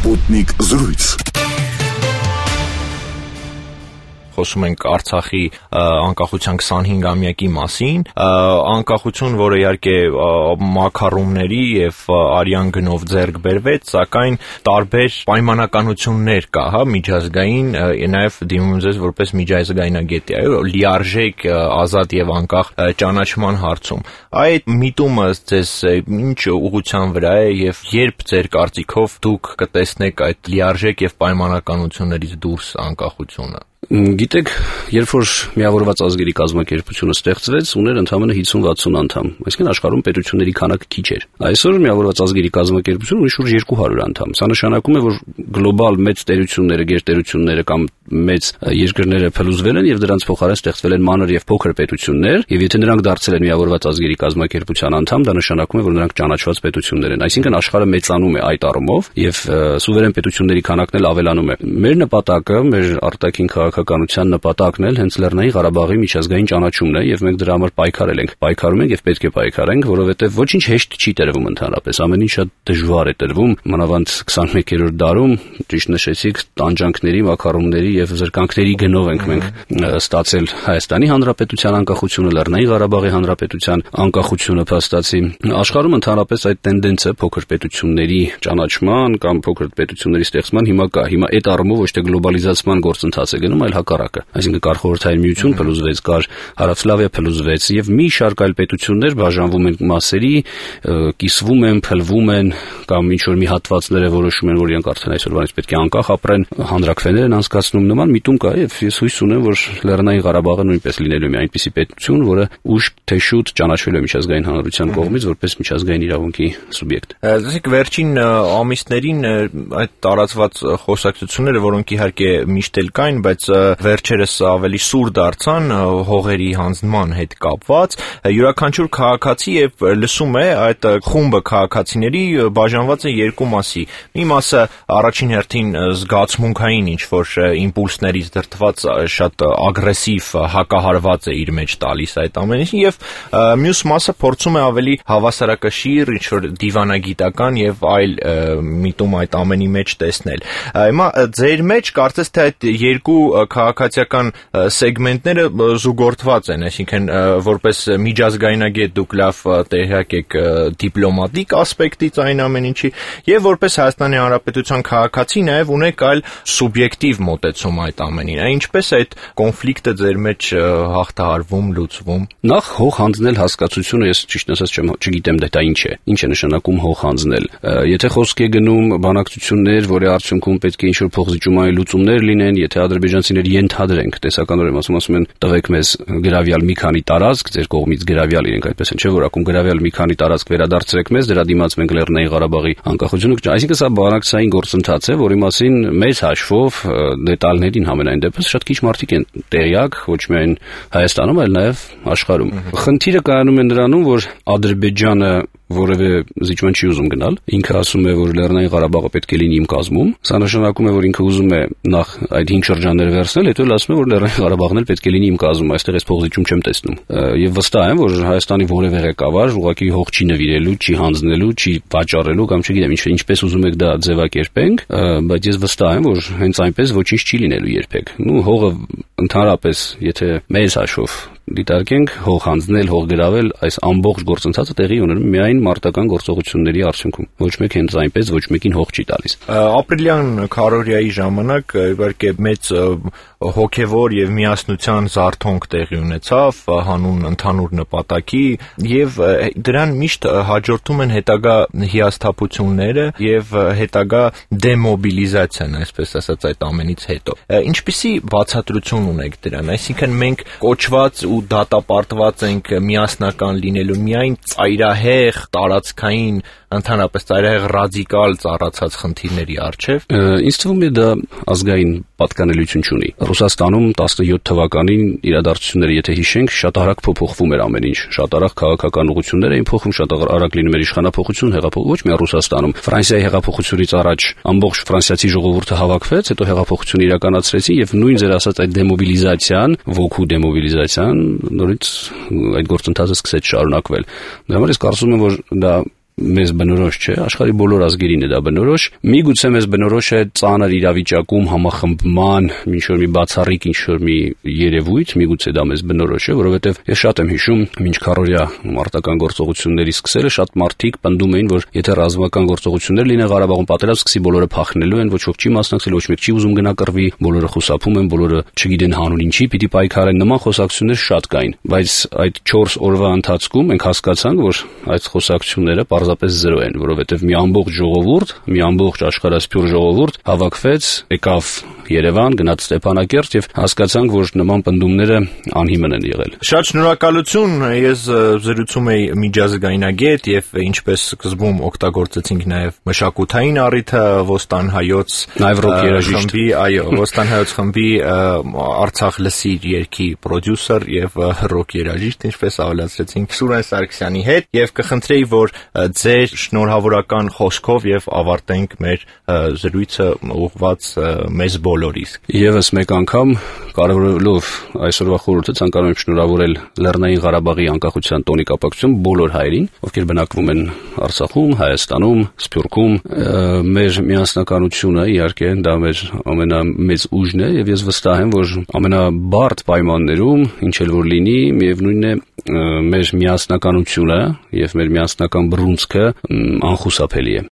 Sputnik զրույց։ Խոսում ենք Արցախի անկախության 25-ամյակի մասին, անկախություն, որը իհարկե մաքարումների եւ արյան գնով ձեռք բերվեց, սակայն տարբեր պայմանականություններ կա, միջազգային, նաեւ դիմում ձեզ որպես միջազգայնագետի, լիարժեք, ազատ եւ անկախ ճանաչման հարցում։ Այդ միտումը ձեզ ինչ ուղղության վրա է եւ երբ ձեր կարծիքով դուք կտեսնեք այդ լիարժեք եւ պայմանականություններից դուրս անկախությունը։ Գիտեք, երբ որ միավորված ազգերի կազմակերպությունը ստեղծվեց, ուներ ընդամենը 50-60 անդամ, այսինքն աշխարհում պետությունների քանակը քիչ էր։ Այսօր միավորված ազգերի կազմակերպությունը ունի շուրջ 200 անդամ։ Սա նշանակում է, որ գլոբալ մեծ տերությունները, գերտերությունները կամ մեծ երկրները փլուզվել են եւ դրանց փոխարեն ստեղծվել են մանր եւ փոքր պետություններ, եւ եթե նրանք դարձել են միավորված ազգերի կազմակերպության անդամ, դա նշանակում է, որ նրանք ճանաչված պետություններ են։ Այսինքն աշխարհը մեծանում է այդ առումով եւ սուվերեն պետությունների քանակն էլ ավելանում է։ Մեր նպատակը, մեր արտաքին քաղաքականության նպատակն էլ հենց Լեռնային Ղարաբաղի միջազգային ճանաչումն է եւ մենք դրա համար պայքարել ենք։ Պայքարում ենք եւ պետք է պայքարենք, որովհետեւ ոչինչ հեշտ չի տրվում ընդհանրապես, ամեն ինչ շատ դժվար է տրվում, մանավանդ 21-րդ դարում, ճիշտ նշեցիք, տանջանքների, մաքարումների եւ զրկանքների գնով ենք մենք ստացել Հայաստանի Հանրապետության անկախությունը, Լեռնային Ղարաբաղի Հանրապետության անկախությունը փաստացի։ Աշխարհում ընդհանրապես այդ տենդենսը փոքր պետությունների ճանաչման կամ փոքր պետությունների ստեղծման հիմա կա։ Հիմա այդ առումով ոչ թե գլոբալիզացման գործընթաց է գնում, այլ հակառակը։ Այսինքն կար Խորհրդային Միություն փլուզվեց, կար Հարավսլավիա փլուզվեց եւ մի շարք այլ պետություններ բաժանվում են մասերի, կիսվում են, փլվում են կամ ինչ որ մի հատվածները որոշում են, որ իրանք արդեն այսօրվանից պետք է անկախ ապրեն, հանրաքվեներ են անցկացնում, նման միտում կա եւ ես հույս ունեմ, որ Լեռնային Ղարաբաղը նույնպես լինելու է այնպիսի պետություն, որը ուշ թե շուտ ճանաչվելու է միջազգային հանրության կողմից որպես միջազգային իրավունքի սուբյեկտ։ Դասիկ վերջին ամիսներին այդ տարածված խոսակցությունները, որոնք իհարկե միշտ էլ կային, բայց վերջերս ավելի սուր դարձան հողերի հանձնման հետ կապված, յուրաքանչյուր քաղաքացի եւ լսում է այդ խումբը քաղաքացիների բաժանված է երկու մասի։ Մի մասը առաջին հերթին զգացմունքային ինչ որ իմպուլսներից դրդված շատ ագրեսիվ հակահարված է իր մեջ տալիս այդ ամեն ինչին եւ մյուս մասը փորձում է ավելի հավասարակշիռ ինչ որ դիվանագիտական եւ այլ միտում այդ ամենի մեջ տեսնել։ Հիմա ձեր մեջ կարծես թե այդ երկու քաղաքացիական սեգմենտները զուգորդված են, այսինքն որպես միջազգայնագետ դուք լավ տեղյակ եք դիպլոմատիկ ասպեկտից այն ամեն ինչի եւ որպես Հայաստանի Հանրապետության քաղաքացի նաեւ ունեք այլ սուբյեկտիվ մոտեցում այդ ամենին։ Ինչպես է այդ կոնֆլիկտը ձեր մեջ հաղթահարվում, լուծվում։ Նախ հող հանձնել հասկացությունը ես ճիշտ ասած չգիտեմ դա ինչ է։ Ինչ է նշանակում հող հանձնել։ Եթե խոսք է գնում բանակցություններ, որի արդյունքում պետք է ինչ-որ փոխզիջումային լուծումներ լինեն, եթե ադրբեջանցիները ենթադրենք, տեսականորեն ասում են տվեք մեզ գրավյալ մի քանի տարածք, ձեր կողմից գրավյալ իրենք այդպես են, չէ՞ որ ակում գրավյալ մի քանի տարածք վերադարձրեք մեզ, դրա դիմաց մենք Լեռնային Ղարաբաղի անկախությունը, այսինքն սա բանակցային գործընթաց է, որի մասին մեծ հաշվով դետալներին համենայն դեպս շատ քիչ մարդիկ են տեղյակ, ոչ միայն Հայաստանում, այլ նաև աշխարհում։ Խնդիրը կայանում է նրանում, որ Ադրբեջանը որևէ զիջման չի ուզում գնալ։ Ինքը ասում է, որ Լեռնային Ղարաբաղը պետք է լինի իմ կազմում։ Սա նշանակում է, որ ինքը ուզում է նախ այդ 5 շրջանները վերցնել, հետո էլ ասում է, որ Լեռնային Ղարաբաղն էլ պետք է լինի իմ կազմում։ Այստեղ ես փոխզիջում չեմ տեսնում։ Եվ վստահ եմ, որ Հայաստանի որևէ ղեկավար ուղղակի հող չի նվիրելու, չի հանձնելու, չի վաճառելու կամ չգիտեմ ինչպես ուզում եք դա ձևակերպենք, բայց ես վստահ եմ, որ հենց այնպես ոչինչ չի լինելու երբեք։ Հողը ընդհանրապես, եթե մեծ հաշվով դիտարկենք, հող հանձնել, հող գրավել, այս ամբողջ գործընթացը տեղի ունենում միայն մարտական գործողությունների արդյունքում։ Ոչ մեկ հենց այնպես ոչ մեկին հող չի տալիս։ Ապրիլյան քարոզիայի ժամանակ իհարկե մեծ հոգևոր եւ միասնության զարթոնք տեղի ունեցավ հանուն ընդհանուր նպատակի եւ դրան միշտ հաջորդում են հետագա հիասթափությունները եւ հետագա դեմոբիլիզացիան, այսպես ասած այդ ամենից հետո։ Ինչպիսի բացատրություն ունեք դրան, այսինքն մենք կոչված ու դատապարտված ենք միասնական լինելու միայն ծայրահեղ տարածքային ընդհանրապես ծայրահեղ ռադիկալ ծառացած խնդիրների առջև։ Ինձ թվում է դա ազգային պատկանելիություն չունի։ Ռուսաստանում 17 թվականին իրադարձությունները եթե հիշենք, շատ արագ փոփոխվում էր ամեն ինչ, շատ արագ քաղաքական ուղղություններ էին փոխվում, շատ արագ լինում էր իշխանափոխություն, հեղափոխություն, ոչ միայն Ռուսաստանում։ Ֆրանսիայի հեղափոխությունից առաջ ամբողջ ֆրանսիացի ժողովուրդը հավաքվեց, հետո հեղափոխություն իրականացրեցին եւ նույն ձեր ասած այդ դեմոբիլիզացիան, ոգու դեմոբիլիզացիան նորից այդ գործընթացը սկսեց շարունակվել։ Դրա համար ես կարծում եմ, որ դա մեզ բնորոշ չէ, աշխարհի բոլոր ազգերին է դա բնորոշ։ Միգուցե մեզ բնորոշ է ծանր իրավիճակում համախմբման, ինչ-որ մի բացառիկ ինչ-որ մի երևույթ, միգուցե դա մեզ բնորոշ է, որովհետև ես շատ եմ հիշում, մինչ քարորյա մարտական գործողությունների սկսելը շատ մարդիկ պնդում էին, որ եթե ռազմական գործողություններ լինեն Ղարաբաղում, պատերազմ սկսի, բոլորը փախնելու են, ոչ ոք չի մասնակցել, ոչ մեկ չի ուզում գնա կռվի, բոլորը խուսափում են, բոլորը չգիտեն հանուն ինչի պիտի պայքարեն, նման խոսակցություններ շատ կային, բայց այդ 4 օրվա ընթացքում մենք հասկացանք, որ այդ խոսակցությունները պարզապես զրո են, որովհետև մի ամբողջ ժողովուրդ, մի ամբողջ աշխարհասփյուր ժողովուրդ հավաքվեց, եկավ Երևան, գնաց Ստեփանակերտ եւ հասկացանք, որ նման պնդումները անհիմն են եղել։ Շատ շնորհակալություն, ես զրուցում էի միջազգայնագետ եւ ինչպես սկզբում օգտագործեցինք նաեւ մշակութային առիթը Ոստան հայոց խմբի, այո, Ոստան հայոց խմբի Արցախ լսիր երգի պրոդյուսեր եւ ռոք երաժիշտ, ինչպես ավելացրեցինք Սուրեն Սարգսյանի հետ եւ կխնդրեի, որ ձեր շնորհավորական խոսքով եւ ավարտենք մեր զրույցը ուղղված մեզ բոլորիս։ Եվս մեկ անգամ կարևորելով այսօրվա խորհուրդը ցանկանում եմ շնորհավորել Լեռնային Ղարաբաղի անկախության տոնի կապակցությամբ բոլոր հայերին, ովքեր բնակվում են Արցախում, Հայաստանում, Սփյուռքում, մեր միասնականությունը իհարկե դա մեր ամենամեծ ուժն է եւ ես վստահ եմ, որ ամենաբարդ պայմաններում, ինչ էլ որ լինի, միևնույնն է մեր միասնականությունը եւ մեր միասնական բռունցքը անխուսափելի է։